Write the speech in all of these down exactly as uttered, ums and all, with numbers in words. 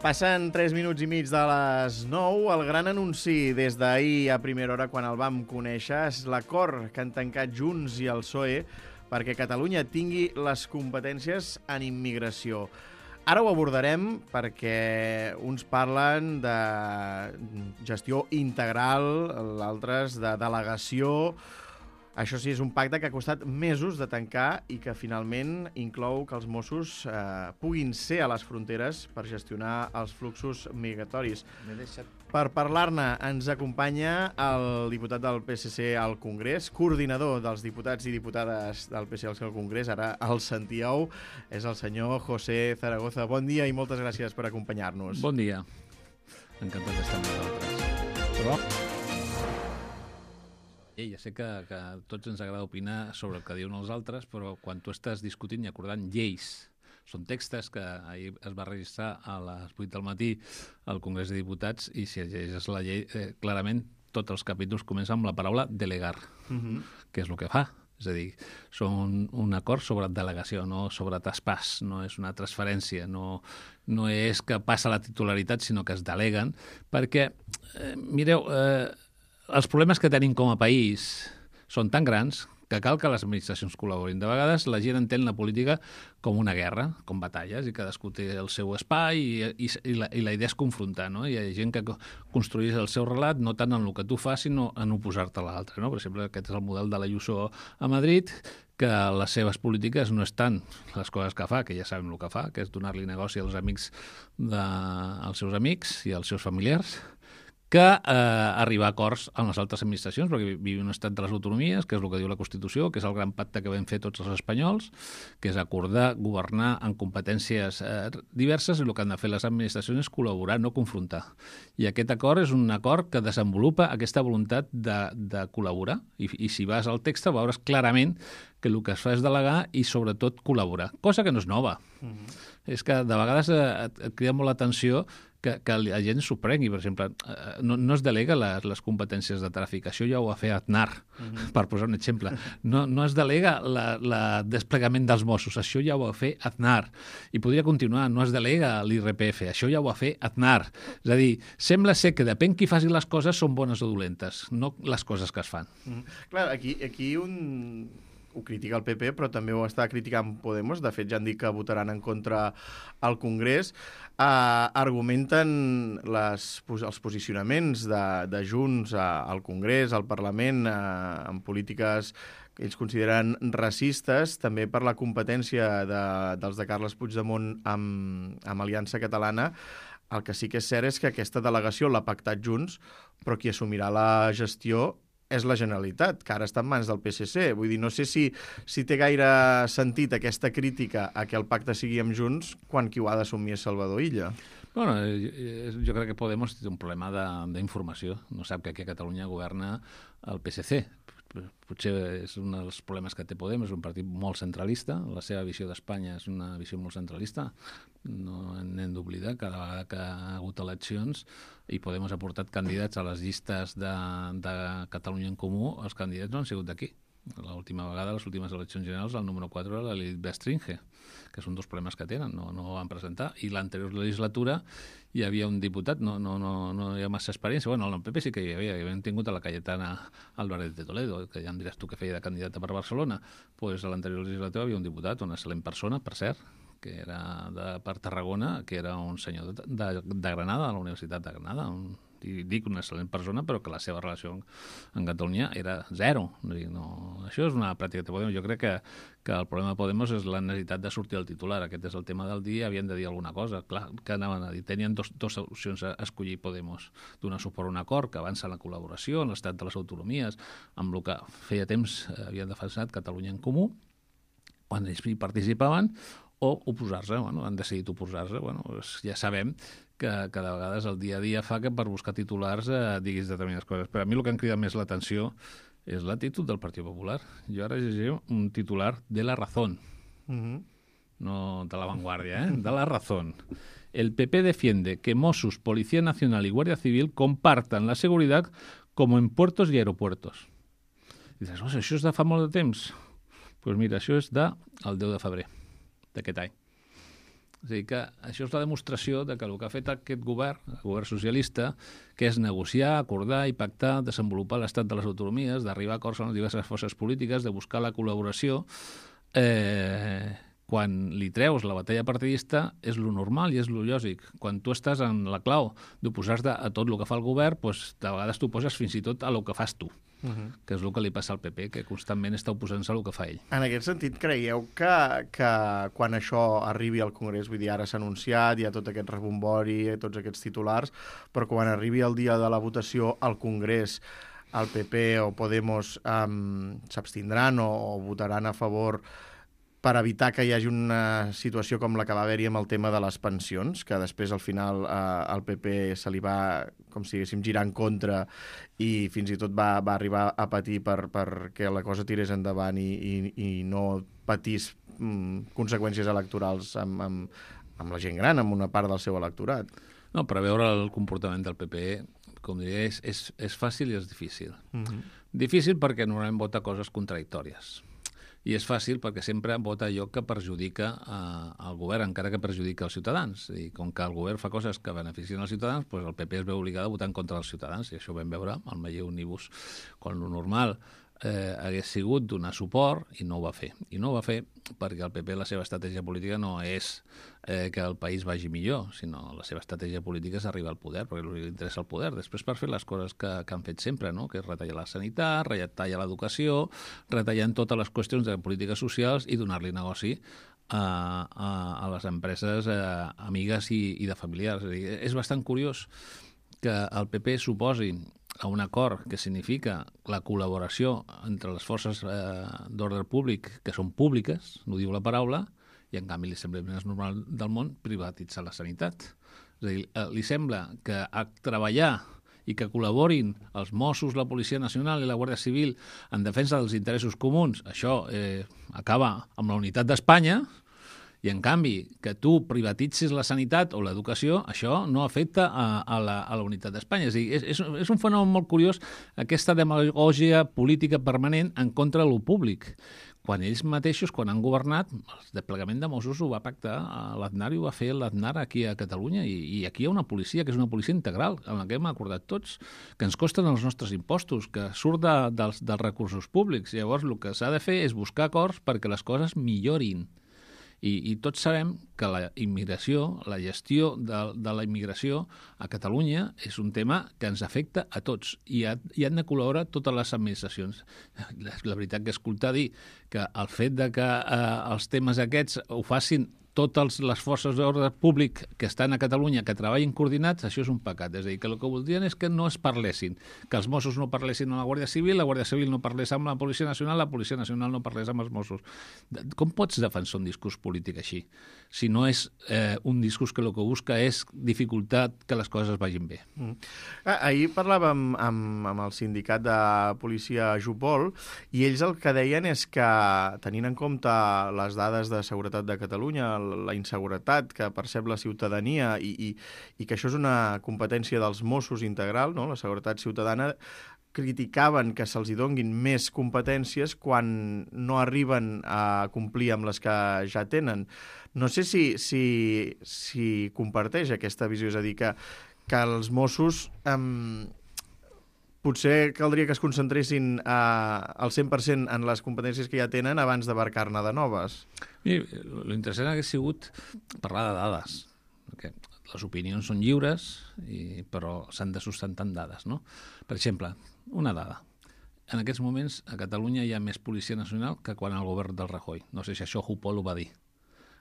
Passen tres minuts i mig de les nou. El gran anunci des d'ahir a primera hora, quan el vam conèixer, és l'acord que han tancat Junts i el P S O E perquè Catalunya tingui les competències en immigració. Ara ho abordarem perquè uns parlen de gestió integral, l'altres de delegació. Això sí, és un pacte que ha costat mesos de tancar i que finalment inclou que els Mossos eh, puguin ser a les fronteres per gestionar els fluxos migratoris. Deixat... Per parlar-ne ens acompanya el diputat del P S C al Congrés, coordinador dels diputats i diputades del P S C al Congrés, ara el sentíeu, és el senyor José Zaragoza. Bon dia i moltes gràcies per acompanyar-nos. Bon dia. Encantat d'estar amb vosaltres. Però... Ja sé que, que a tots ens agrada opinar sobre el que diuen els altres, però quan tu estàs discutint i acordant lleis, són textos que ahir es va registrar a les vuit del matí al Congrés de Diputats i si llegeixes la llei, eh, clarament tots els capítols comencen amb la paraula delegar, uh-huh. que és el que fa. És a dir, són un acord sobre delegació, no sobre traspàs, no és una transferència, no, no és que passa la titularitat, sinó que es deleguen, perquè, eh, mireu, eh, els problemes que tenim com a país són tan grans que cal que les administracions col·laborin. De vegades la gent entén la política com una guerra, com batalles, i cadascú té el seu espai i, i, i, la, i la idea és confrontar, no? Hi ha gent que construeix el seu relat no tant en el que tu fas, sinó en oposar-te a l'altre, no? Per exemple, aquest és el model de l'Ayuso a Madrid, que les seves polítiques no és tant les coses que fa, que ja sabem el que fa, que és donar-li negoci als amics de, als seus amics i als seus familiars, que eh, arribar a acords amb les altres administracions, perquè vivim un estat de les autonomies, que és el que diu la Constitució, que és el gran pacte que vam fer tots els espanyols, que és acordar, governar en competències eh, diverses, i el que han de fer les administracions és col·laborar, no confrontar. I aquest acord és un acord que desenvolupa aquesta voluntat de, de col·laborar, i, i si vas al text veuràs clarament que el que es fa és delegar i, sobretot, col·laborar, cosa que no és nova. Mm-hmm. És que, de vegades, et, et crida molt l'atenció que, que la gent s'ho prengui. Per exemple, no, no es delega les, les competències de tràfic. Això ja ho va fer Aznar, mm-hmm. per posar un exemple. No, no es delega el desplegament dels Mossos. Això ja ho va fer Aznar. I podria continuar. No es delega l'I R P F. Això ja ho va fer Aznar. És a dir, sembla ser que depèn qui faci les coses són bones o dolentes, no les coses que es fan. Mm-hmm. Clar, aquí, aquí un... ho critica el P P, però també ho està criticant Podemos. De fet, ja han dit que votaran en contra al Congrés. Uh, argumenten les, els posicionaments de, de Junts uh, al Congrés, al Parlament, uh, en polítiques que ells consideren racistes, també per la competència de, dels de Carles Puigdemont amb, amb Aliança Catalana. El que sí que és cert és que aquesta delegació l'ha pactat Junts, però qui assumirà la gestió és la Generalitat, que ara està en mans del P S C. Vull dir, no sé si, si té gaire sentit aquesta crítica a que el pacte sigui amb Junts quan qui ho ha d'assumir és Salvador Illa. Bueno, jo crec que Podemos té un problema d'informació. No sap que aquí a Catalunya governa el P S C. Potser és un dels problemes que té Podemos, és un partit molt centralista, la seva visió d'Espanya és una visió molt centralista, no n'hem d'oblidar, cada vegada que ha hagut eleccions i Podemos ha portat candidats a les llistes de, de Catalunya en Comú, els candidats no han sigut d'aquí. L'última vegada, les últimes eleccions generals, el número quatre era l'Elit Bestringe, que són dos problemes que tenen, no, no ho van presentar. I l'anterior legislatura hi havia un diputat, no, no, no, no hi ha massa experiència, bueno, el P P sí que hi havia, hi havien tingut a la Cayetana Álvarez de Toledo, que ja em diràs tu que feia de candidata per Barcelona, doncs a l'anterior legislatura hi havia un diputat, una excel·lent persona, per cert, que era de, per Tarragona, que era un senyor de, de, de Granada, de la Universitat de Granada, un i dic una excel·lent persona, però que la seva relació en Catalunya era zero. No, això és una pràctica de Podemos. Jo crec que, que el problema de Podemos és la necessitat de sortir al titular. Aquest és el tema del dia, havien de dir alguna cosa. Clar, que anaven a dir? Tenien dos, dos opcions a escollir Podemos. Donar suport a un acord que avança en la col·laboració, en l'estat de les autonomies, amb el que feia temps havien defensat Catalunya en Comú, quan ells hi participaven, o oposar-se. Bueno, han decidit oposar-se. Bueno, ja sabem que, que de vegades el dia a dia fa que per buscar titulars eh, diguis determinades coses. Però a mi el que em crida més l'atenció és l'actitud del Partit Popular. Jo ara llegiré un titular de La Razón, uh-huh. no de La Vanguardia, eh? de La Razón. El P P defiende que Mossos, Policía Nacional y Guardia Civil compartan la seguridad como en puertos y aeropuertos. I dius, oh, això és de fa molt de temps? Doncs pues mira, això és de el deu de febrer d'aquest any. És a dir, que això és la demostració de que el que ha fet aquest govern, el govern socialista, que és negociar, acordar i pactar, desenvolupar l'estat de les autonomies, d'arribar a acords amb les diverses forces polítiques, de buscar la col·laboració, eh, quan li treus la batalla partidista és lo normal i és lo lògic. Quan tu estàs en la clau d'oposar-te a tot el que fa el govern, doncs, de vegades t'oposes fins i tot a lo que fas tu, uh -huh. que és el que li passa al P P, que constantment està oposant-se a lo que fa ell. En aquest sentit, creieu que, que quan això arribi al Congrés, vull dir, ara s'ha anunciat, hi ha tot aquest rebombori, tots aquests titulars, però quan arribi el dia de la votació al Congrés, el P P o Podemos um, s'abstindran o, o votaran a favor per evitar que hi hagi una situació com la que va haver-hi amb el tema de les pensions, que després al final eh, el P P se li va, com si diguéssim, girar en contra i fins i tot va, va arribar a patir per, perquè la cosa tirés endavant i, i, i no patís mm, conseqüències electorals amb, amb, amb la gent gran, amb una part del seu electorat. No, per veure el comportament del P P, com diria, és, és, és fàcil i és difícil. Uh-huh. Difícil perquè normalment vota coses contradictòries. I és fàcil perquè sempre vota allò que perjudica eh, el govern, encara que perjudica els ciutadans. I com que el govern fa coses que beneficien els ciutadans, doncs el P P es veu obligat a votar en contra dels ciutadans. I això ho vam veure al Meller Omnibus, quan lo normal eh, hagués sigut donar suport, i no ho va fer. I no ho va fer perquè el P P, la seva estratègia política no és eh, que el país vagi millor, sinó la seva estratègia política és arribar al poder, perquè li interessa el poder. Després per fer les coses que, que han fet sempre, no? Que és retallar la sanitat, retallar l'educació, retallant totes les qüestions de polítiques socials i donar-li negoci a, a, a les empreses eh, amigues i, i de familiars. És a dir, és bastant curiós que el P P suposi a un acord que significa la col·laboració entre les forces eh, d'ordre públic que són públiques, no diu la paraula, i en canvi li sembla més normal del món privatitzar la sanitat. És a dir, eh, li sembla que a treballar i que col·laborin els Mossos, la Policia Nacional i la Guàrdia Civil en defensa dels interessos comuns, això eh, acaba amb la unitat d'Espanya, i en canvi que tu privatitzis la sanitat o l'educació, això no afecta a, a, la, a la unitat d'Espanya. És a dir, és, és, és un fenomen molt curiós, aquesta demagògia política permanent en contra de lo públic. Quan ells mateixos, quan han governat, el desplegament de Mossos ho va pactar, l'Aznar ho va fer l'Aznar aquí a Catalunya, i, i aquí hi ha una policia que és una policia integral, en la que hem acordat tots, que ens costen els nostres impostos, que surt de, dels, dels recursos públics. Llavors, el que s'ha de fer és buscar acords perquè les coses millorin. I, i tots sabem que la immigració, la gestió de, de la immigració a Catalunya és un tema que ens afecta a tots i, ha, i han de col·laborar totes les administracions. La, la veritat que escoltar dir que el fet de que eh, els temes aquests ho facin totes les forces d'ordre públic que estan a Catalunya, que treballin coordinats, això és un pecat. És a dir, que el que voldrien és que no es parlessin, que els Mossos no parlessin amb la Guàrdia Civil, la Guàrdia Civil no parlés amb la Policia Nacional, la Policia Nacional no parlés amb els Mossos. Com pots defensar un discurs polític així? Si no és eh, un discurs que el que busca és dificultar que les coses vagin bé. Mm. Ah, ahir parlàvem amb, amb el sindicat de policia Jupol i ells el que deien és que, tenint en compte les dades de seguretat de Catalunya, la inseguretat que percep la ciutadania i, i, i que això és una competència dels Mossos integral, no? La seguretat ciutadana, criticaven que se'ls hi donguin més competències quan no arriben a complir amb les que ja tenen. No sé si, si, si comparteix aquesta visió, és a dir, que, que els Mossos eh, potser caldria que es concentressin eh, al cent per cent en les competències que ja tenen abans d'abarcar-ne de noves. Mira, l'interessant hauria sigut parlar de dades, perquè les opinions són lliures, i, però s'han de sustentar en dades, no? Per exemple, una dada. En aquests moments a Catalunya hi ha més Policia Nacional que quan el govern del Rajoy. No sé si això Jupol ho va dir.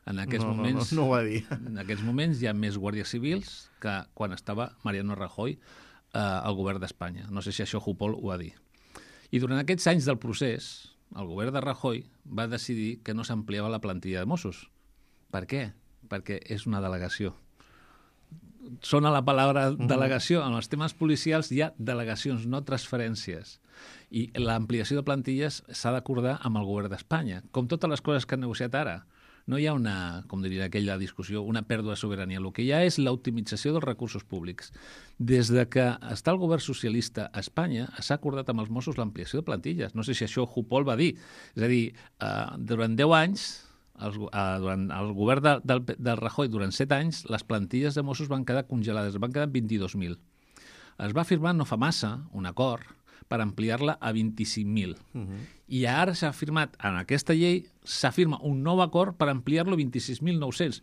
En aquests no, moments, no, no, no ho va dir. En aquests moments hi ha més guàrdies civils que quan estava Mariano Rajoy eh, al govern d'Espanya. No sé si això Jupol ho va dir. I durant aquests anys del procés, el govern de Rajoy va decidir que no s'ampliava la plantilla de Mossos. Per què? Perquè és una delegació. Sona la paraula delegació. En els temes policials hi ha delegacions, no transferències. I l'ampliació de plantilles s'ha d'acordar amb el govern d'Espanya. Com totes les coses que han negociat ara. No hi ha una, com diria aquella discussió, una pèrdua de sobirania. El que hi ha és l'optimització dels recursos públics. Des de que està el govern socialista a Espanya, s'ha acordat amb els Mossos l'ampliació de plantilles. No sé si això Jupol va dir. És a dir, eh, durant deu anys els, eh, durant el govern de, del, del Rajoy, durant set anys, les plantilles de Mossos van quedar congelades, van quedar vint-i-dos mil. Es va firmar no fa massa un acord per ampliar-la a vint-i-cinc mil. Uh-huh. I ara s'ha firmat, en aquesta llei, s'afirma un nou acord per ampliar-lo a vint-i-sis mil nou-cents.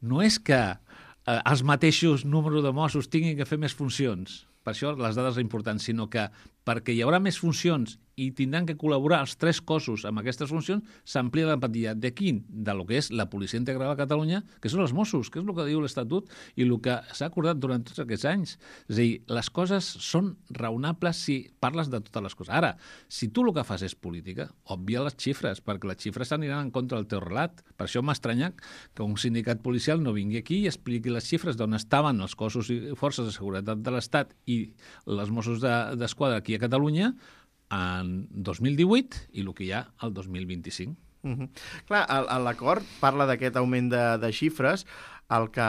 No és que eh, els mateixos números de Mossos tinguin que fer més funcions, per això les dades són importants, sinó que perquè hi haurà més funcions i tindran que col·laborar els tres cossos amb aquestes funcions, s'amplia la plantilla. De quin? De lo que és la Policia Integral a Catalunya, que són els Mossos, que és el que diu l'Estatut i el que s'ha acordat durant tots aquests anys. És a dir, les coses són raonables si parles de totes les coses. Ara, si tu el que fas és política, obvia les xifres, perquè les xifres aniran en contra del teu relat. Per això m'ha estranyat que un sindicat policial no vingui aquí i expliqui les xifres d'on estaven els cossos i forces de seguretat de l'Estat i els Mossos d'Esquadra aquí a Catalunya en dos mil divuit i el que hi ha el dos mil vint-i-cinc. Uh-huh. Clar, l'acord parla d'aquest augment de, de xifres. El que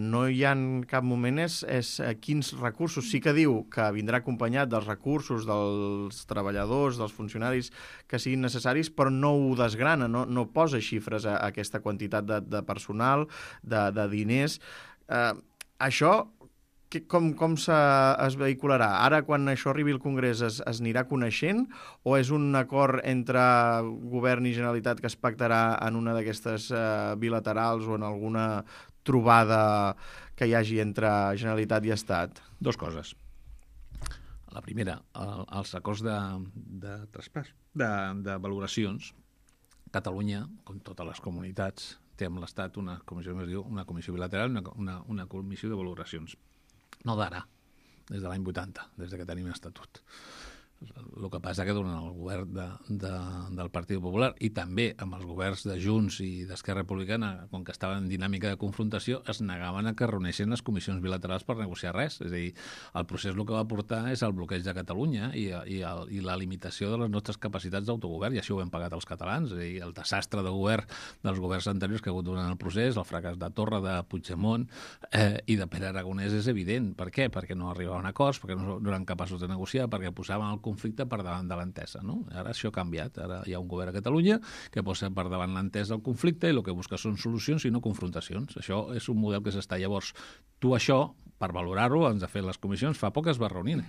no hi ha en cap moment és, és quins recursos. Sí que diu que vindrà acompanyat dels recursos dels treballadors, dels funcionaris que siguin necessaris, però no ho desgrana, no, no posa xifres a, a aquesta quantitat de, de personal, de, de diners. Eh, això Que, com com se, es vehicularà? Ara, quan això arribi al Congrés, es, es anirà coneixent o és un acord entre govern i Generalitat que es pactarà en una d'aquestes eh, bilaterals o en alguna trobada que hi hagi entre Generalitat i Estat? Dos coses. La primera, el, els acords de, de traspàs, de, de valoracions. Catalunya, com totes les comunitats, té amb l'Estat una comissió, es diu, una comissió bilateral, una, una, una comissió de valoracions. No d'ara, des de l'any vuitanta, des que tenim estatut. El que passa que durant el govern de, de, del Partit Popular i també amb els governs de Junts i d'Esquerra Republicana, com que estaven en dinàmica de confrontació, es negaven a que reuneixin les comissions bilaterals per negociar res. És a dir, el procés el que va portar és el bloqueig de Catalunya i, i, el, i la limitació de les nostres capacitats d'autogovern, i això ho hem pagat els catalans. És a dir, el desastre de govern dels governs anteriors que ha hagut durant el procés, el fracàs de Torra, de Puigdemont eh, i de Pere Aragonès és evident. Per què? Perquè no arribaven a acords, perquè no eren capaços de negociar, perquè posaven el conflicte per davant de l'entesa, no? Ara això ha canviat. Ara hi ha un govern a Catalunya que posa per davant l'entesa del conflicte i el que busca són solucions i no confrontacions. Això és un model que s'està. Llavors, tu això, per valorar-ho, ens ha fet les comissions, fa poc es va reunir.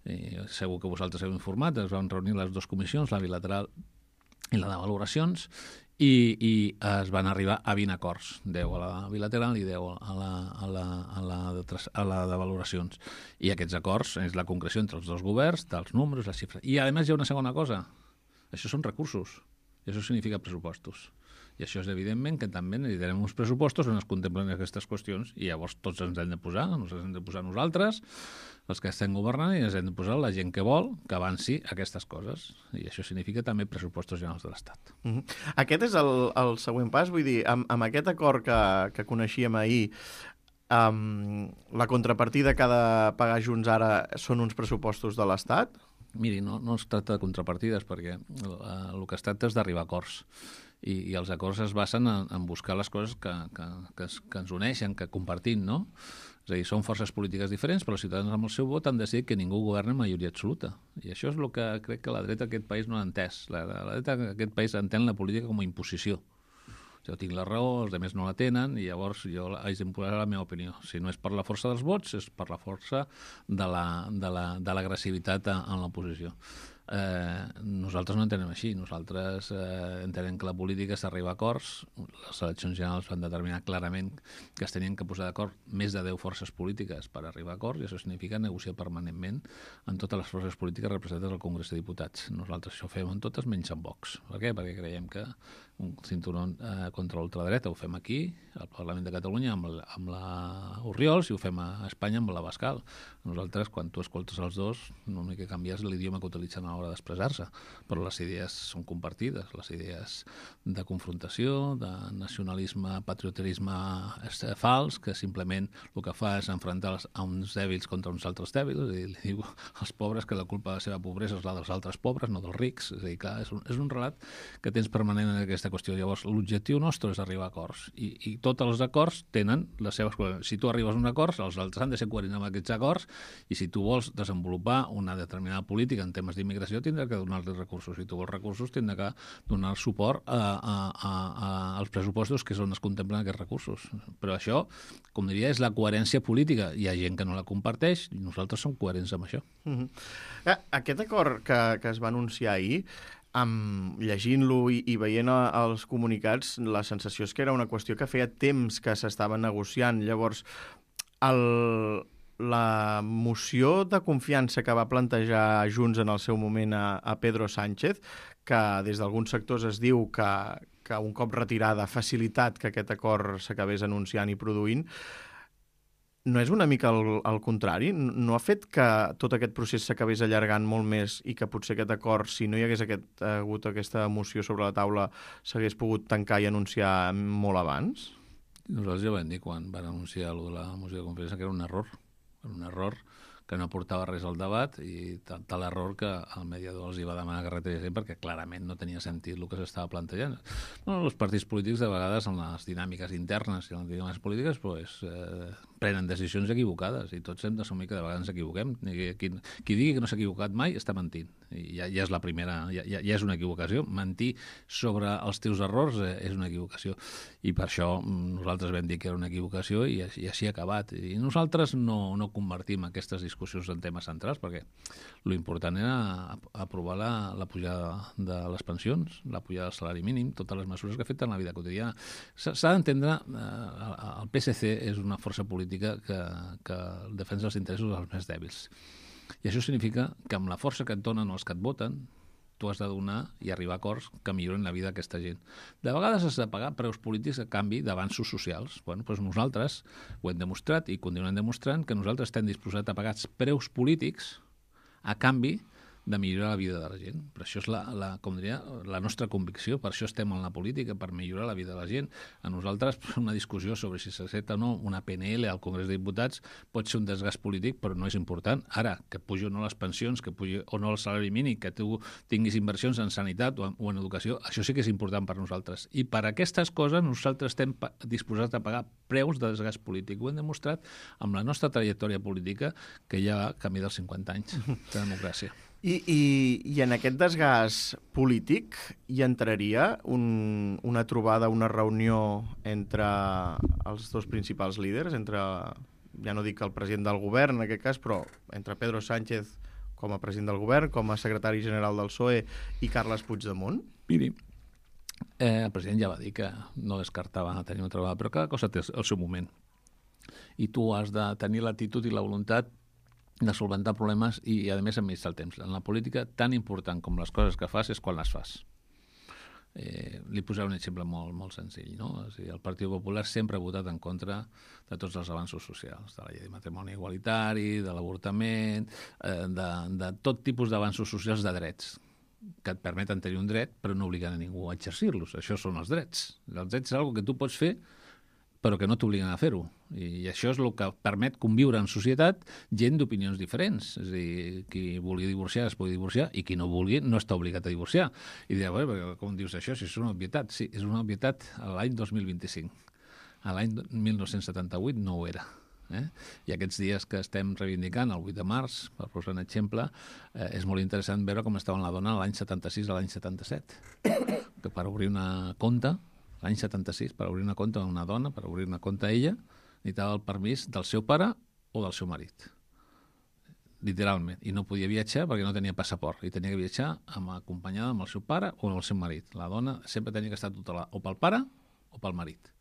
I segur que vosaltres heu informat, es van reunir les dues comissions, la bilateral i la de valoracions, i, i es van arribar a vint acords, deu a la bilateral i deu a la, a la, a la, de, a la de valoracions. I aquests acords és la concreció entre els dos governs, dels números, les xifres. I, a més, hi ha una segona cosa. Això són recursos. I això significa pressupostos. I això és evidentment que també necessitarem uns pressupostos on es contemplen aquestes qüestions i llavors tots ens hem de posar, ens hem de posar nosaltres, els que estem governant, i ens hem de posar la gent que vol que avanci aquestes coses. I això significa també pressupostos generals de l'Estat. Uh-huh. Aquest és el, el següent pas, vull dir, amb, amb aquest acord que, que coneixíem ahir, um, la contrapartida que ha de pagar Junts ara són uns pressupostos de l'Estat? Miri, no, no es tracta de contrapartides, perquè el, el que es tracta és d'arribar a acords. I, i els acords es basen en, en buscar les coses que, que, que, es, que ens uneixen, que compartim, no? És a dir, són forces polítiques diferents, però els ciutadans amb el seu vot han decidit que ningú governa en majoria absoluta. I això és el que crec que la dreta d'aquest país no ha entès. La, la dreta d'aquest país entén la política com a imposició. Jo tinc la raó, els altres no la tenen, i llavors jo haig d'imposar la meva opinió. Si no és per la força dels vots, és per la força de l'agressivitat la, de la, en l'oposició. Eh, nosaltres no entenem així. Nosaltres eh, entenem que la política s'arriba a acords. Les eleccions generals van determinar clarament que es tenien que posar d'acord més de deu forces polítiques per arribar a acords, i això significa negociar permanentment amb totes les forces polítiques representades al Congrés de Diputats. Nosaltres això ho fem en totes menys en Vox. Per què? Perquè creiem que un cinturó eh, contra l'ultradreta ho fem aquí, al Parlament de Catalunya, amb, la, amb la Orriols, i ho fem a Espanya amb la Bascal. Nosaltres, quan tu escoltes els dos, l'únic que canvia és l'idioma que utilitzen a l'hora d'expressar-se, però les idees són compartides, les idees de confrontació, de nacionalisme, patrioterisme fals, que simplement el que fa és enfrontar a uns dèbils contra uns altres dèbils, i li diu als pobres que la culpa de la seva pobresa és la dels altres pobres, no dels rics. És a dir, clar, és un, és un relat que tens permanent en aquesta qüestió. Llavors, l'objectiu nostre és arribar a acords, i, i tots els acords tenen les seves coses. Si tu arribes a un acord, els altres han de ser coherents amb aquests acords, i si tu vols desenvolupar una determinada política en temes d'immigració, l'oposició tindrà que donar-li recursos. Si tu vols recursos, tindrà que donar suport a, a, a, a, als pressupostos que és on es contemplen aquests recursos. Però això, com diria, és la coherència política. Hi ha gent que no la comparteix i nosaltres som coherents amb això. Mm-hmm. Aquest acord que, que es va anunciar ahir, Um, llegint-lo i, i veient els comunicats, la sensació és que era una qüestió que feia temps que s'estava negociant. Llavors, el, la moció de confiança que va plantejar Junts en el seu moment a, a Pedro Sánchez, que des d'alguns sectors es diu que, que un cop retirada ha facilitat que aquest acord s'acabés anunciant i produint, no és una mica el, el contrari? No ha fet que tot aquest procés s'acabés allargant molt més i que potser aquest acord, si no hi hagués aquest, hagut aquesta moció sobre la taula, s'hagués pogut tancar i anunciar molt abans? Nosaltres ja vam dir quan van anunciar allò de la moció de confiança que era un error. Era un error que no portava res al debat i tal, tal error que el mediador els hi va demanar que retiressin perquè clarament no tenia sentit el que s'estava plantejant. Bueno, els partits polítics de vegades en les dinàmiques internes i en les dinàmiques polítiques pues, eh, prenen decisions equivocades i tots hem d'assumir que de vegades ens equivoquem. Qui, qui digui que no s'ha equivocat mai està mentint. I ja, ja és la primera, ja, ja, ja és una equivocació. Mentir sobre els teus errors eh, és una equivocació. I per això nosaltres vam dir que era una equivocació i, i així ha acabat. I nosaltres no, no convertim aquestes discussions en temes centrals perquè l'important era aprovar la, la pujada de les pensions, la pujada del salari mínim, totes les mesures que afecten la vida quotidiana. S'ha d'entendre, eh, el P S C és una força política que, que defensa els interessos dels més dèbils. I això significa que amb la força que et donen els que et voten, tu has de donar i arribar a acords que milloren la vida d'aquesta gent. De vegades has de pagar preus polítics a canvi d'avanços socials. Bueno, doncs nosaltres ho hem demostrat i continuem demostrant que nosaltres estem disposats a pagar preus polítics a canvi de millorar la vida de la gent. Per això és la, la, com diria, la nostra convicció, per això estem en la política, per millorar la vida de la gent. A nosaltres una discussió sobre si s'accepta o no una P N L al Congrés de Diputats pot ser un desgast polític, però no és important. Ara, que pugi o no les pensions, que pugi o no el salari mínim, que tu tinguis inversions en sanitat o en, o en educació, això sí que és important per nosaltres. I per aquestes coses nosaltres estem disposats a pagar preus de desgast polític. Ho hem demostrat amb la nostra trajectòria política, que ja va camí dels cinquanta anys de democràcia. I, i, I en aquest desgast polític hi entraria un, una trobada, una reunió entre els dos principals líders, entre, ja no dic el president del govern en aquest cas, però entre Pedro Sánchez com a president del govern, com a secretari general del P S O E i Carles Puigdemont? Miri, eh, el president ja va dir que no descartava tenir una trobada, però cada cosa té el seu moment. I tu has de tenir l'actitud i la voluntat de solventar problemes i, a més, administrar el temps. En la política, tan important com les coses que fas és quan les fas. Eh, li posaré un exemple molt, molt senzill. No? O sigui, el Partit Popular sempre ha votat en contra de tots els avanços socials, de la llei de matrimoni igualitari, de l'avortament, eh, de, de tot tipus d'avanços socials de drets que et permeten tenir un dret però no obliguen a ningú a exercir-los. Això són els drets. Els drets és una cosa que tu pots fer però que no t'obliguen a fer-ho. I això és el que permet conviure en societat gent d'opinions diferents. És a dir, qui vulgui divorciar es pugui divorciar i qui no vulgui no està obligat a divorciar. I dirà, bueno, com dius això? Si és una obvietat. Sí, és una obvietat a l'any dos mil vint-i-cinc. A l'any mil nou-cents setanta-vuit no ho era. Eh? I aquests dies que estem reivindicant, el vuit de març, per posar un exemple, eh, és molt interessant veure com estava la dona l'any setanta-sis a l'any setanta-set. Que per obrir una compte, l'any setanta-sis, per obrir una compte a una dona, per obrir una compte a ella, necessitava el permís del seu pare o del seu marit. Literalment. I no podia viatjar perquè no tenia passaport. I tenia que viatjar amb, acompanyada amb el seu pare o amb el seu marit. La dona sempre tenia que estar tutelada o pel pare o pel marit.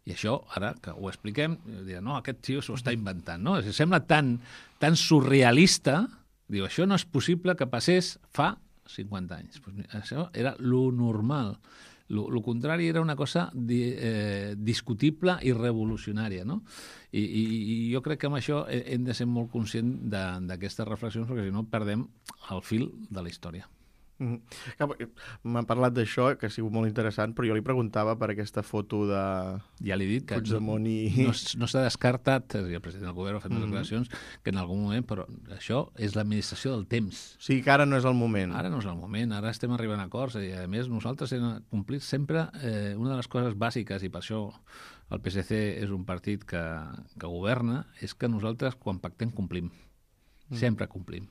I això, ara que ho expliquem, dirà, no, aquest tio s'ho està inventant. No? Sembla tan, tan surrealista. Diu, això no és possible que passés fa cinquanta anys. Pues, això era lo normal. El contrari era una cosa di, eh, discutible i revolucionària, no? I, i, I jo crec que amb això hem de ser molt conscients d'aquestes reflexions perquè si no perdem el fil de la història. Mm-hmm. M'ha parlat d'això, que ha sigut molt interessant, però jo li preguntava per aquesta foto de ja li he dit que Puigdemont i... No, no s'ha descartat, el president del govern ha fet mm-hmm. declaracions, que en algun moment, però això és l'administració del temps. O sigui que ara no és el moment. Ara no és el moment, ara estem arribant a acords i a més nosaltres hem complit sempre eh, una de les coses bàsiques i per això el P S C és un partit que, que governa, és que nosaltres quan pactem complim, mm. sempre complim.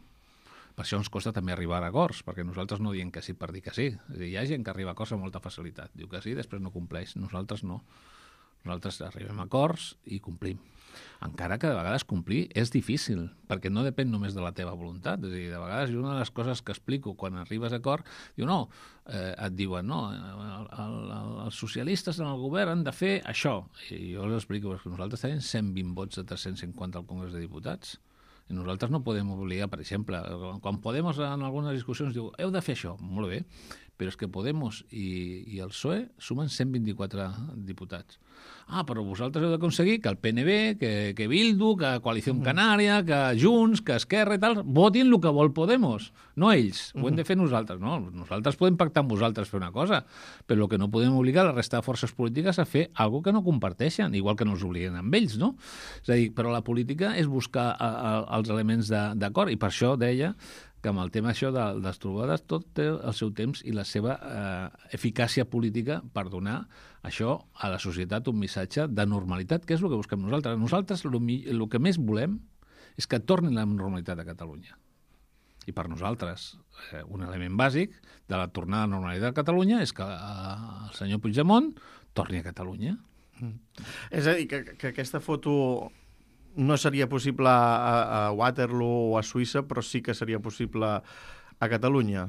Per això ens costa també arribar a acords, perquè nosaltres no diem que sí per dir que sí. És a dir, hi ha gent que arriba a acords amb molta facilitat. Diu que sí, després no compleix. Nosaltres no. Nosaltres arribem a acords i complim. Encara que de vegades complir és difícil, perquè no depèn només de la teva voluntat. És a dir, de vegades una de les coses que explico quan arribes a acord, diu no, eh, et diuen no, el, el, els socialistes en el govern han de fer això. I jo els explico que nosaltres tenim cent vint vots de tres-cents cinquanta al Congrés de Diputats. I nosaltres no podem obligar, per exemple, quan Podemos en algunes discussions diu heu de fer això, molt bé, però és que Podemos i, i el P S O E sumen cent vint-i-quatre diputats. Ah, però vosaltres heu d'aconseguir que el P N B, que, que Bildu, que Coalició Canària, que Junts, que Esquerra i tal, votin el que vol Podemos, no ells. Ho hem de fer nosaltres, no? Nosaltres podem pactar amb vosaltres fer una cosa, però el que no podem obligar la resta de forces polítiques a fer alguna que no comparteixen, igual que no els obliguen amb ells, no? És a dir, però la política és buscar a, a, els elements d'acord, i per això deia que amb el tema això de, de les trobades tot té el seu temps i la seva eh, eficàcia política per donar això a la societat un missatge de normalitat, que és el que busquem nosaltres. Nosaltres el, el que més volem és que torni la normalitat a Catalunya. I per nosaltres eh, un element bàsic de la tornada a la normalitat a Catalunya és que eh, el senyor Puigdemont torni a Catalunya. Mm. És a dir, que, que aquesta foto no seria possible a, a Waterloo o a Suïssa, però sí que seria possible a Catalunya.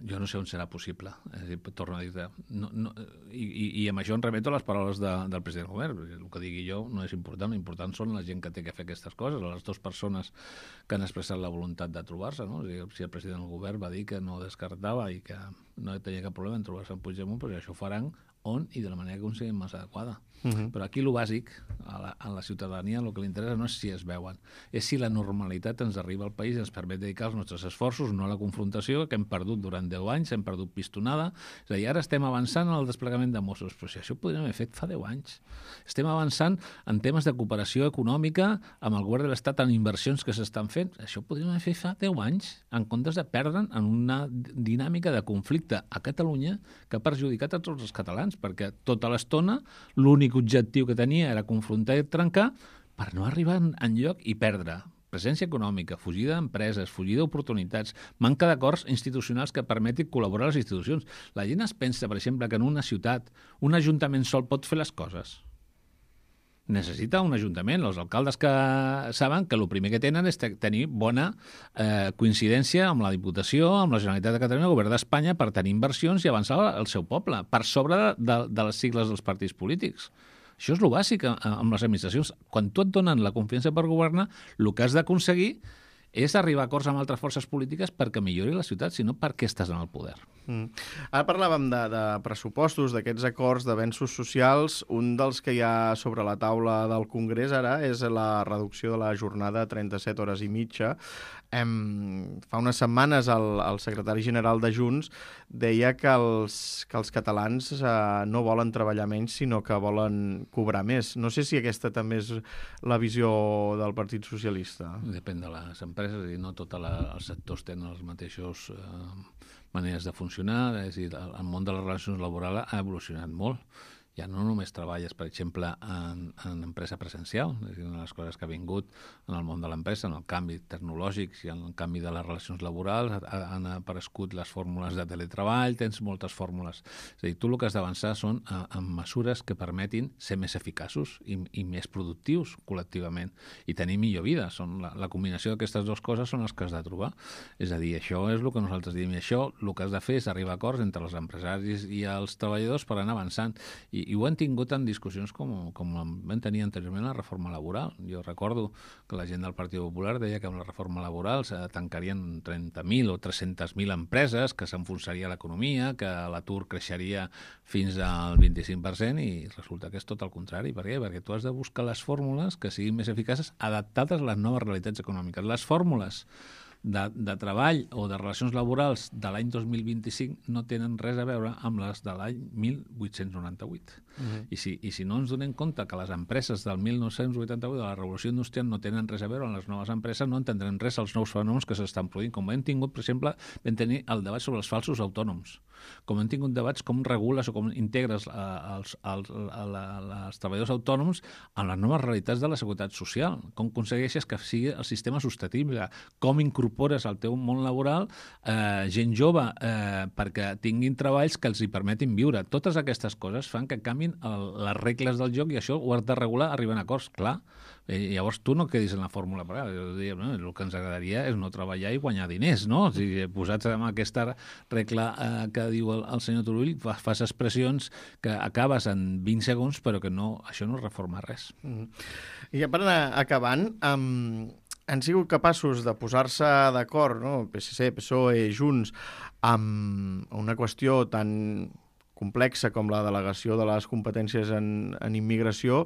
Jo no sé on serà possible. És a dir, torno a dir-te. No, no, i, i, I amb això em remeto a les paraules de, del president del govern. El que digui jo no és important. L'important són la gent que té que fer aquestes coses, les dues persones que han expressat la voluntat de trobar-se. No? És a dir, si el president del govern va dir que no descartava i que no tenia cap problema en trobar-se amb Puigdemont, però això ho faran on i de la manera que considerin més adequada. Uh-huh. Però aquí el bàsic, a la, a la ciutadania, el que li interessa no és si es veuen, és si la normalitat ens arriba al país i ens permet dedicar els nostres esforços, no a la confrontació que hem perdut durant deu anys, hem perdut pistonada. És a dir, ara estem avançant en el desplegament de Mossos, però si això ho podríem haver fet fa deu anys. Estem avançant en temes de cooperació econòmica amb el govern de l'Estat en inversions que s'estan fent. Això ho podríem haver fet fa deu anys, en comptes de perdre'n en una dinàmica de conflicte a Catalunya que ha perjudicat a tots els catalans, perquè tota l'estona l'únic objectiu que tenia era confrontar i trencar per no arribar enlloc i perdre presència econòmica, fugida d'empreses, fugida d'oportunitats, manca d'acords institucionals que permetin col·laborar a les institucions. La gent es pensa, per exemple, que en una ciutat un ajuntament sol pot fer les coses. Necessita un ajuntament. Els alcaldes que saben que el primer que tenen és tenir bona eh, coincidència amb la Diputació, amb la Generalitat de Catalunya, el Govern d'Espanya, per tenir inversions i avançar el seu poble, per sobre de, de, de les sigles dels partits polítics. Això és el bàsic amb les administracions. Quan tu et donen la confiança per governar, el que has d'aconseguir és arribar a acords amb altres forces polítiques perquè millori la ciutat, sinó perquè estàs en el poder. Mm. Ara parlàvem de, de pressupostos, d'aquests acords d'avenços socials. Un dels que hi ha sobre la taula del Congrés ara és la reducció de la jornada a trenta-set hores i mitja. Em, fa unes setmanes el, el secretari general de Junts deia que els, que els catalans eh, no volen treballar menys, sinó que volen cobrar més. No sé si aquesta també és la visió del Partit Socialista. Depèn de les empreses, i no tots els sectors tenen els mateixos eh, maneres de funcionar. És a dir, el món de les relacions laborals ha evolucionat molt. Ja no només treballes, per exemple, en, en empresa presencial, és a dir, una de les coses que ha vingut en el món de l'empresa, en el canvi tecnològic i en el canvi de les relacions laborals, han aparegut les fórmules de teletreball, tens moltes fórmules. És a dir, tu el que has d'avançar són a, a mesures que permetin ser més eficaços i, i més productius col·lectivament i tenir millor vida. Són la, la combinació d'aquestes dues coses són les que has de trobar. És a dir, això és el que nosaltres diem, i això el que has de fer és arribar a acords entre els empresaris i els treballadors per anar avançant. I I ho han tingut en discussions com, com vam tenir anteriorment la reforma laboral. Jo recordo que la gent del Partit Popular deia que amb la reforma laboral se tancarien trenta mil o tres-centes mil empreses, que s'enfonsaria l'economia, que l'atur creixeria fins al vint-i-cinc per cent, i resulta que és tot el contrari. Per què? Perquè tu has de buscar les fórmules que siguin més eficaces, adaptades a les noves realitats econòmiques. Les fórmules De, de treball o de relacions laborals de l'any dos mil vint-i-cinc no tenen res a veure amb les de l'any mil vuit-cents noranta-vuit. Uh-huh. I, si, I si no ens donem compte que les empreses del mil nou-cents vuitanta-vuit, de la revolució industrial, no tenen res a veure amb les noves empreses, no entendrem res als nous fenòmens que s'estan produint. Com hem tingut, per exemple, vam tenir el debat sobre els falsos autònoms. com hem tingut debats com regules o com integres a, als, als, a la, als treballadors autònoms en les noves realitats de la seguretat social, com aconsegueixes que sigui el sistema sostenible, com incorpores al teu món laboral eh, gent jove eh, perquè tinguin treballs que els hi permetin viure. Totes aquestes coses fan que canvin el, les regles del joc i això ho has de regular arribant a acords, clar. Eh, llavors tu no quedis en la fórmula, però eh, no, el que ens agradaria és no treballar i guanyar diners, no? O sigui, posats en aquesta regla eh, que diu el, el senyor Turull, fas, fas expressions que acabes en vint segons, però que no, això no reforma res. Mm. I ja per anar acabant, um, han sigut capaços de posar-se d'acord, no? P S C, P S O E, Junts, amb una qüestió tan complexa com la delegació de les competències en, en immigració,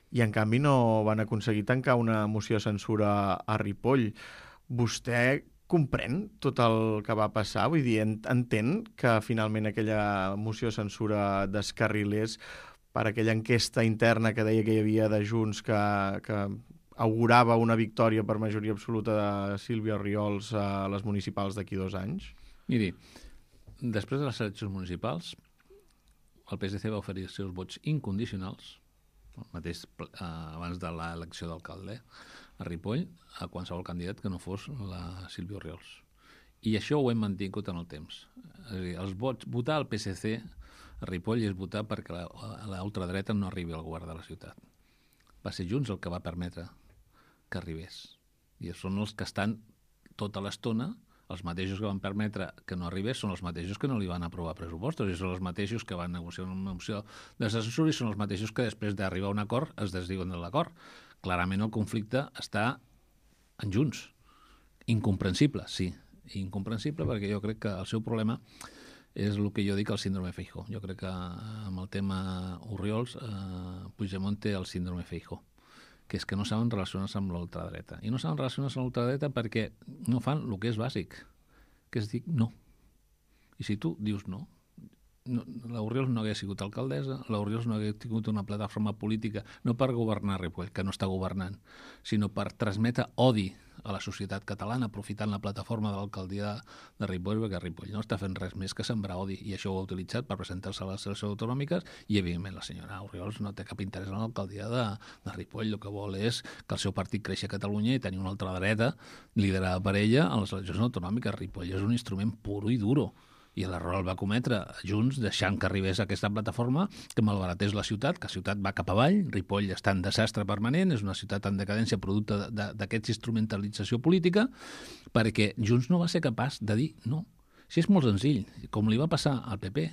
i en canvi no van aconseguir tancar una moció de censura a Ripoll. Vostè comprèn tot el que va passar? Vull dir, entén que finalment aquella moció de censura descarrilés per aquella enquesta interna que deia que hi havia de Junts que, que augurava una victòria per majoria absoluta de Sílvia Orriols a les municipals d'aquí dos anys? Miri, després de les eleccions municipals, el P S C va oferir els seus vots incondicionals el mateix eh, abans de l'elecció d'alcalde a Ripoll, a qualsevol candidat que no fos la Sílvia Orriols. I això ho hem mantingut en el temps. És a dir, els vots, votar al P S C a Ripoll és votar perquè la ultradreta no arribi al govern de la ciutat. Va ser Junts el que va permetre que arribés. I són els que estan tota l'estona, els mateixos que van permetre que no arribés són els mateixos que no li van aprovar pressupostos i són els mateixos que van negociar una moció de censura i són els mateixos que després d'arribar a un acord es desdiuen de l'acord. Clarament el conflicte està en Junts. Incomprensible, sí. Incomprensible perquè jo crec que el seu problema és el que jo dic el síndrome Feijóo. Jo crec que amb el tema Orriols eh, Puigdemont té el síndrome Feijóo, que és que no saben relacionar-se amb l'ultradreta. I no saben relacionar-se amb l'ultradreta perquè no fan el que és bàsic, que és dir no. I si tu dius no, no l'Orriols no hagués sigut alcaldessa, l'Orriols no hagués tingut una plataforma política, no per governar Ripoll, que no està governant, sinó per transmetre odi a la societat catalana, aprofitant la plataforma de l'alcaldia de Ripoll, perquè Ripoll no està fent res més que sembrar odi, i això ho ha utilitzat per presentar-se a les eleccions autonòmiques, i evidentment la senyora Orriols no té cap interès en l'alcaldia de, de Ripoll, el que vol és que el seu partit creixi a Catalunya i tenir una altra dreta liderada per ella a les eleccions autonòmiques. Ripoll és un instrument puro i duro, i l'error el va cometre Junts deixant que arribés a aquesta plataforma que malbaratés la ciutat, que la ciutat va cap avall, Ripoll està en desastre permanent, és una ciutat en decadència producte d'aquesta instrumentalització política, perquè Junts no va ser capaç de dir no. Si és molt senzill, com li va passar al P P,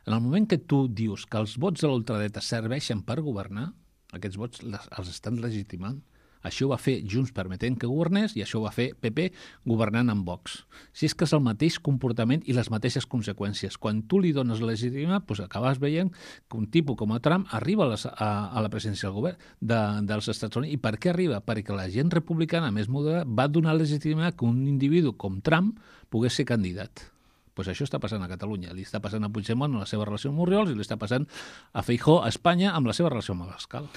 en el moment que tu dius que els vots de l'ultradreta serveixen per governar, aquests vots els estan legitimant. Això ho va fer Junts permetent que governés i això ho va fer P P governant amb Vox. Si és que és el mateix comportament i les mateixes conseqüències. Quan tu li dones legitimitat, doncs acabes veient que un tipus com a Trump arriba a, les, a, a la presidència del govern de, dels Estats Units. I per què arriba? Perquè la gent republicana més moderada va donar legitimitat que un individu com Trump pogués ser candidat. Pues això està passant a Catalunya. Li està passant a Puigdemont amb la seva relació amb Orriols i li està passant a Feijóo a Espanya amb la seva relació amb Abascal.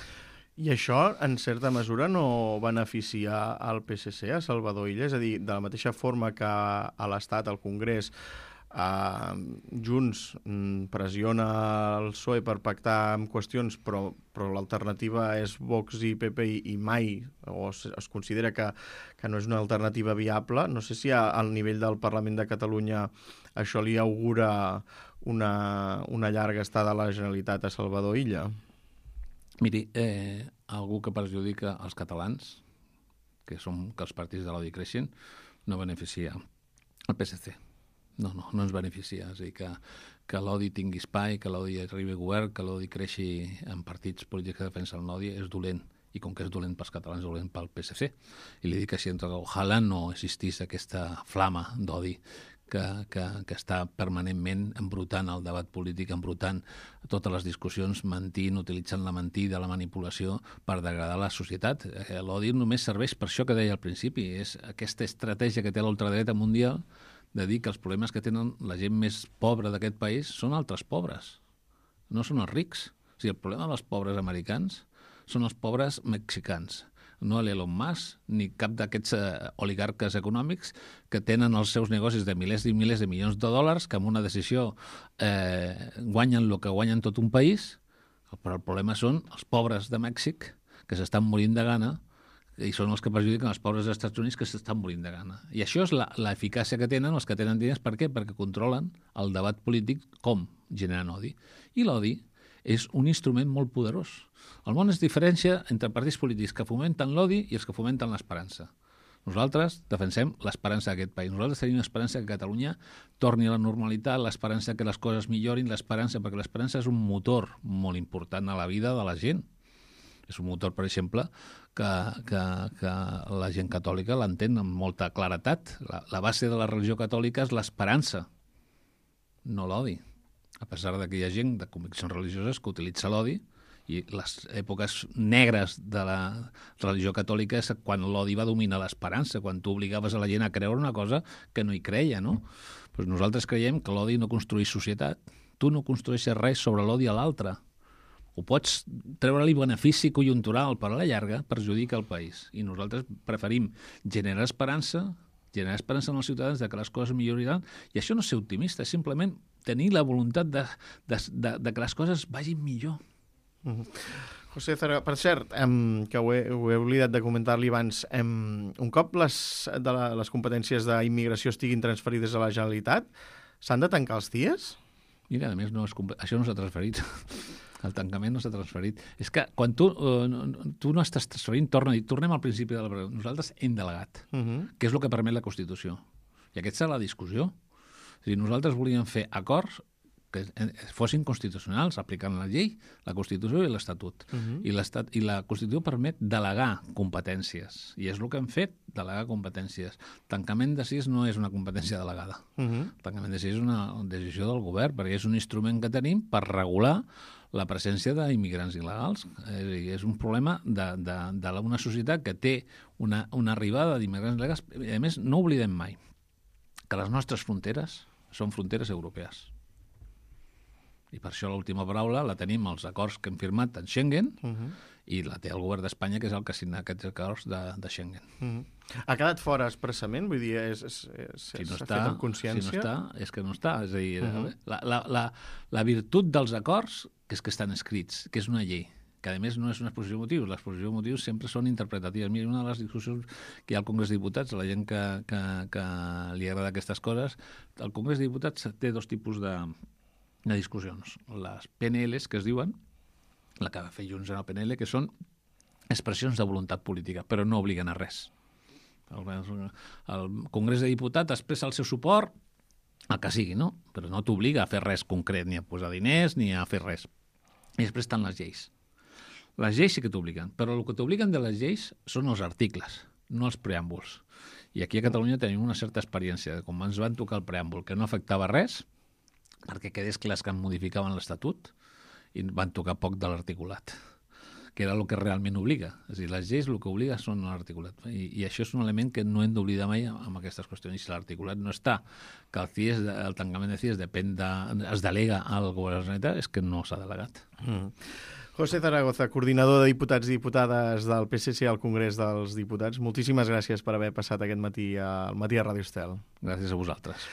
I això, en certa mesura, no beneficia al P S C, a Salvador Illa? És a dir, de la mateixa forma que a l'Estat, al Congrés, eh, Junts pressiona el P S O E per pactar amb qüestions, però, però l'alternativa és Vox i P P i, i mai, o es, es considera que, que no és una alternativa viable. No sé si a, al nivell del Parlament de Catalunya això li augura una, una llarga estada a la Generalitat a Salvador Illa. Miri, eh, algú que perjudica els catalans, que som que els partits de l'odi creixen, no beneficia el P S C. No, no, no ens beneficia. És a dir, que, que l'odi tingui espai, que l'odi arribi a govern, que l'odi creixi en partits polítics que defensen l'odi, és dolent. I com que és dolent pels catalans, és dolent pel P S C. I li dic així, ojalà no existís aquesta flama d'odi que, que, que està permanentment embrutant el debat polític, embrutant totes les discussions, mentint, utilitzant la mentida, la manipulació per degradar la societat. L'odi només serveix per això que deia al principi, és aquesta estratègia que té l'ultradreta mundial de dir que els problemes que tenen la gent més pobra d'aquest país són altres pobres, no són els rics. O sigui, el problema dels pobres americans són els pobres mexicans. no l'Elon Musk, ni cap d'aquests eh, oligarques econòmics que tenen els seus negocis de milers i milers de milions de dòlars, que amb una decisió eh, guanyen el que guanyen tot un país, però el problema són els pobres de Mèxic que s'estan morint de gana i són els que perjudiquen els pobres dels Estats Units que s'estan morint de gana. I això és l'eficàcia que tenen els que tenen diners. Per què? Perquè controlen el debat polític com generen odi. I l'odi és un instrument molt poderós. El món es diferencia entre partits polítics que fomenten l'odi i els que fomenten l'esperança. Nosaltres defensem l'esperança d'aquest país. Nosaltres tenim l'esperança que Catalunya torni a la normalitat, l'esperança que les coses millorin, l'esperança, perquè l'esperança és un motor molt important a la vida de la gent. És un motor, per exemple, que, que, que la gent catòlica l'entén amb molta claretat. La, la base de la religió catòlica és l'esperança, no l'odi. A pesar de que hi ha gent de conviccions religioses que utilitza l'odi, i les èpoques negres de la religió catòlica és quan l'odi va dominar l'esperança, quan tu obligaves a la gent a creure una cosa que no hi creia, no? Pues nosaltres creiem que l'odi no construeix societat. Tu no construeixes res sobre l'odi a l'altre. Ho pots treure-li benefici conjuntural, però a la llarga perjudica el país. I nosaltres preferim generar esperança, generar esperança en els ciutadans de que les coses milloraran, i això no és ser optimista, és simplement tenir la voluntat de, de, de, de que les coses vagin millor. Uh-huh. José Zaragoza, per cert, em, que ho he, ho he oblidat de comentar-li abans, em, un cop les, de la, les competències d'immigració estiguin transferides a la Generalitat, s'han de tancar els C I Es? Mira, a més, no és, això no s'ha transferit. El tancament no s'ha transferit. És que quan tu, uh, tu no estàs transferint, torna a dir, tornem al principi de la pregunta. Nosaltres hem delegat, uh-huh. que és el que permet la Constitució. I aquesta és la discussió. És a dir, nosaltres volíem fer acords que fossin constitucionals, aplicant la llei, la Constitució i l'Estatut. Uh-huh. I, l'Estat, I la Constitució permet delegar competències. I és el que hem fet, delegar competències. Tancament de C I Es no és una competència delegada. Uh-huh. Tancament de C I Es és una decisió del govern, perquè és un instrument que tenim per regular la presència d'immigrants il·legals. És un problema d'una societat que té una, una arribada d'immigrants il·legals. I a més, no oblidem mai que les nostres fronteres són fronteres europees. I per això l'última paraula la tenim als acords que hem firmat en Schengen, uh-huh. i la té el govern d'Espanya, que és el que signa aquests acords de, de Schengen. Uh-huh. Ha quedat fora expressament? Vull dir, és, és, és, si no està, fet amb consciència? Si no està, és que no està. És a dir, uh-huh. la, la, la, la virtut dels acords, que és que estan escrits, que és una llei, que a més no és una exposició de motius. Les exposicions de motius sempre són interpretatives. Mira, una de les discussions que hi ha al Congrés de Diputats, la gent que, que, que li agrada aquestes coses, el Congrés de Diputats té dos tipus de de discussions. Les P N Ls, que es diuen, la que va fer Junts en el P N L, que són expressions de voluntat política, però no obliguen a res. El, el Congrés de Diputats expressa el seu suport al que sigui, no? Però no t'obliga a fer res concret, ni a posar diners, ni a fer res. I després estan les lleis. Les lleis sí que t'obliguen, però el que t'obliguen de les lleis són els articles, no els preàmbuls. I aquí a Catalunya tenim una certa experiència. Com ens van tocar el preàmbul, que no afectava res, perquè quedés clars que modificaven l'Estatut i van tocar poc de l'articulat, que era el que realment obliga. És a dir, les lleis el que obliga són l'articulat. I, I això és un element que no hem d'oblidar mai amb aquestes qüestions. I si l'articulat no està, que el C I E S, el tancament de C I E S depèn de, es delega al govern de la Generalitat, és que no s'ha delegat. Mm. José Zaragoza, coordinador de diputats i diputades del P S C al Congrés dels Diputats, moltíssimes gràcies per haver passat aquest matí al matí a Ràdio Estel. Gràcies a vosaltres.